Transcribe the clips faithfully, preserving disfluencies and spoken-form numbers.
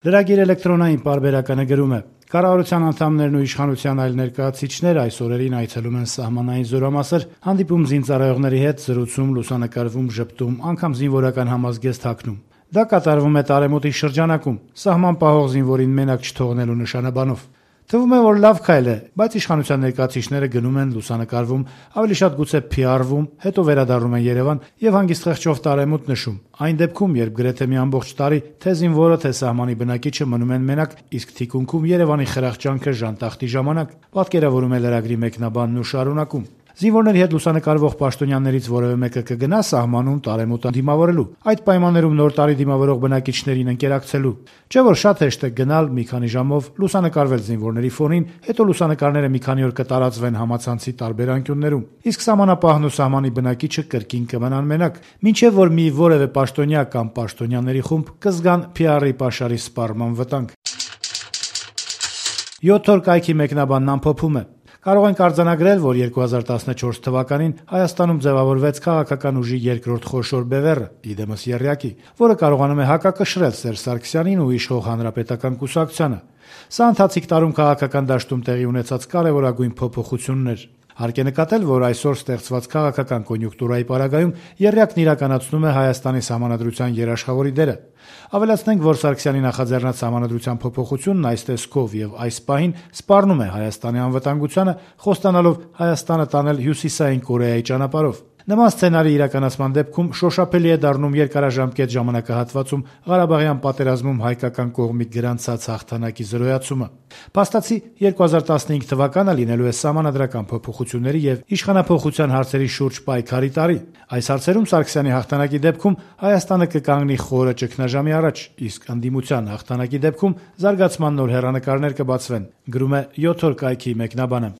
Լրագիր էլեկտրոնային պարբերականը գրում է. «Կառավարության անդամներն ու իշխանության այլ ներկայացուցիչներ այս օրերին այցելում են սահմանային զորամասեր, հանդիպում զինծառայողների հետ, զրուցում, լուսանկարվում, ժպտում, անգամ զինվորական համազգեստ հագնում։ Դա կատարվում է տարեմուտի շրջանակում, սահման պահող զինվորին մենակ չթողնելու նշանաբանով։ Թվում է, որ լավ քայլ է, բայց իշխանության ներկայացուցիչները գնում են, լուսանկարվում, ավելի շատ գուցե փիարվում, հետո վերադառնում են Երևան եւ հանգիստ խեղճով տարեմուտ նշում։ Այն դեպքում, երբ գրեթե մի ամբողջ տարի թե զինվորը, թե սահմանի բնակիչը մնում են մենակ, իսկ թիկունքում Երևանի խրախճանքը ժանտախտի ժամանակ», պատկերավորում է լրագրի մեկնաբանն ու շարունակում. «Զինվորների հետ լուսանկարվող պաշտոնյաներից որևէ մեկը կգնա սահմանում տարեմուտը դիմավորելու, այդ պայմաններում նոր տարի դիմավորող բնակիչներին ընկերակցելու։ Չէ՞ որ շատ հեշտ է գնալ մի քանի ժամով, լուսանկարվել զինվորների ֆոնին, հետո լուսանկարները մի քանի օր կտարածվեն համացանցի տարբեր անկյուններում, իսկ սահմանապահն ու սահմանի բնակիչը կրկին կմնան մենակ, մինչև որ մի որևէ պաշտոնյա կամ պաշտոնյաների խումբ կզգան փիարի պաշարի սպառման վտանգ»։ յոթ օր կայքի մեկնաբանն ամփոփում է. «Կարող ենք արձանագրել, որ երկու հազար տասնչորս թվականին Հայաստանում ձևավորվեց քաղաքական ուժի երկրորդ խոշոր բևեռը՝ իդեմս եռյակի, որը կարողանում է հակակշռել Սերժ Սարգսյանին ու իշխող Հանրապետական կուսակցությանը։ Սա ընթացիկ տարում քաղաքական դաշտում տեղի ունեցած կարևորագույն փոփոխությունն էր։ Հարկ է նկատել, որ այսօր ստեղծված քաղաքական կոնյունկտուրայի պարագայում եռյակն իրականացնում է Հայաստանի սահմանադրության երաշխավորի դերը։ Ավելացնենք, որ Սարգսյանի նախաձեռնած սահմանադրության փոփոխությունն այս տեսքով եւ այս պահին սպառնում է Հայաստանի անվտանգությանը, խոստանալով Հայաստանը տանել Հյուսիսային Կորեայի ճանապարհով։ Նման սցենարի իրականացման դեպքում շոշափելի է դառնում երկարաժամկետ ժամանակահատվածում Ղարաբաղյան պատերազմում հայկական կողմի գրանցած հաղթանակի զրոյացումը։ Փաստացի երկու հազար տասնհինգ թվականը լինելու է սահմանադրական փոփոխությունների եւ իշխանափոխության հարցերի շուրջ պայքարի տարի։ Այս հարցերում Սարգսյանի հաղթանակի դեպքում Հայաստանը կկանգնի խորը ճգնաժամի առաջ, իսկ ընդդիմության հաղթանակի դեպքում զարգացման նոր հեռանկարներ կբացվեն», գրում է յոթ օր կայքի մեկնաբանը։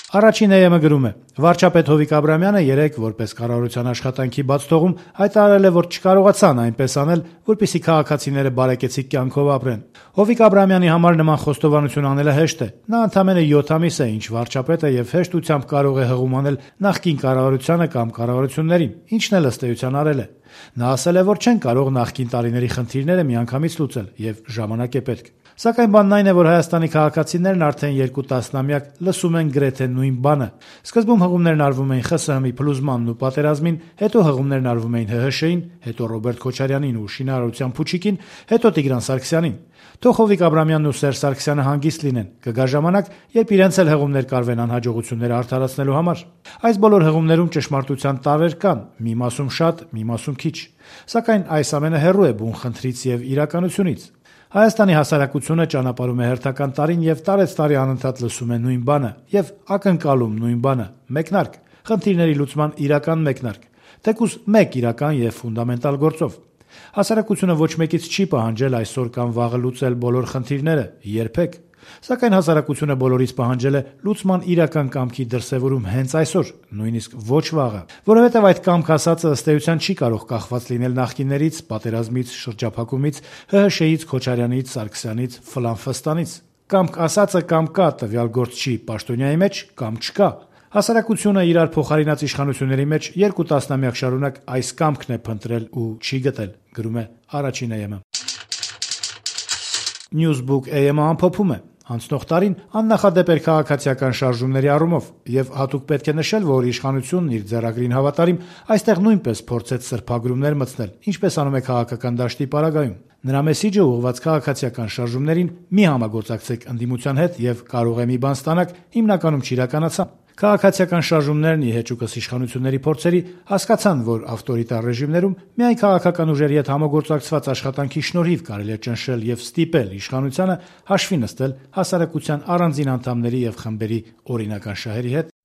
Առաջին է ԵՄ գրում է. «Վարչապետ Հովիկ Աբրահամյանը երեկ, որպես կառավարության աշխատանքի բաց թողում, հայտարարել է, որ չկարողացան այնպես անել, որպեսզի քաղաքացիները բարեկեցիկ կյանքով ապրեն։ Հովիկ Աբրահամյանի համար նման խոստովանություն անելը հեշտ է։ Նա ընդամենը յոթ ամիս է, ինչ վարչապետ է եւ հեշտությամբ կարող է հղում անել նախկին կառավարությանը կամ կառավարություններին, ինչն էլ ըստ էության արել է։ Նա ասել է, որ չեն կարող նախկին տարիների խնդիրները միանգամից լուծել եւ ժամանակ է պետք։ Սակայն բանն այն է, որ Հայաստանի քաղաքացիներն արդեն երկու տասնամյակ լսում են գրեթե նույն բանը։ Սկզբում հղումներն արվում էին ԽՍՀՄ-ի փլուզմանն ու պատերազմին, հետո հղումներն արվում էին ՀՀՇ-ին, հետո Ռոբերտ Քոչարյանին ու շինարարության փուչիկին, հետո Տիգրան Սարգսյանին։ Թող Հովիկ Աբրահամյանն ու Սերժ Սարգսյանը հանգիստ լինեն, կգա ժամանակ, երբ իրենց էլ հղումներ կարվեն անհաջողությունները արդարացնելու համար։ Այս բոլոր հղումներում ճշմարտության տարրեր կան, մի մասում շատ, մի մասում քիչ։ Սակայն այս ամենը հեռու է բուն խնդրից եւ իրականությունից։ Հայաստանի հասարակությունը ճանապարհում է հերթական տարին եւ տարեցտարի անընդհատ լսում է նույն բանը եւ ակնկալում նույն բանը՝ մեկնարկ, խնդիրների լուծման իրական մեկնարկ, թեկուզ մեկ իրական եւ ֆունդամենտալ գործով։ Հասարակությունը ոչ մեկից չի պահանջել այսօր կամ վաղը լուծել բոլոր խնդիրները, երբեք։ Սակայն հասարակությունը բոլորից պահանջել է լուծման իրական կամքի դրսևորում հենց այսօր, նույնիսկ ոչ վաղը, որովհետև այդ կամք ասածը ըստ էության չի կարող կախված լինել նախկիններից, պատերազմից, շրջափակումից, ՀՀՇ-ից, Քոչարյանից, Սարգսյանից, Ֆլան-Ֆստանից։ Կամք ասածը կամ կա տվյալ գործչի պաշտոնյայի մեջ, կամ չկա։ Հասարակությունը իրար փոխարինած իշխանությունների մեջ երկու տասնամյակ շարունակ այս կամքն է փնտրել ու չի գտել, գրում է առաջին է ԵՄ։ Newsbook է ԵՄ ամփոփում է. «Անցնող տարին աննախադեպ էր քաղաքացիական շարժումների առումով, եւ հատուկ պետք է նշել, որ իշխանությունն իր ձեռագրին հավատարիմ այստեղ նույնպես փորձեց սրբագրումներ մտցնել, ինչպես անում է քաղաքական դաշտի պարագայում։ Նրա մեսիջը ուղղված քաղաքացիական շարժումներին՝ մի համագործակցեք ընդդիմության հետ եւ կարող է մի բան ստանաք, հիմնականում չիրականացան։ Քաղաքացիական շարժումներն ի հեճուկս իշխանությունների փորձերի հասկացան, որ ավտորիտար ռեժիմներում միայն քաղաքական ուժերի հետ համագործակցված աշխատանքի շնորհիվ կարելի է ճնշել եւ ստիպել իշխանությանը հաշվի նստել հասարակության առանձին անդամների եւ խմբերի օրինական շահերի հետ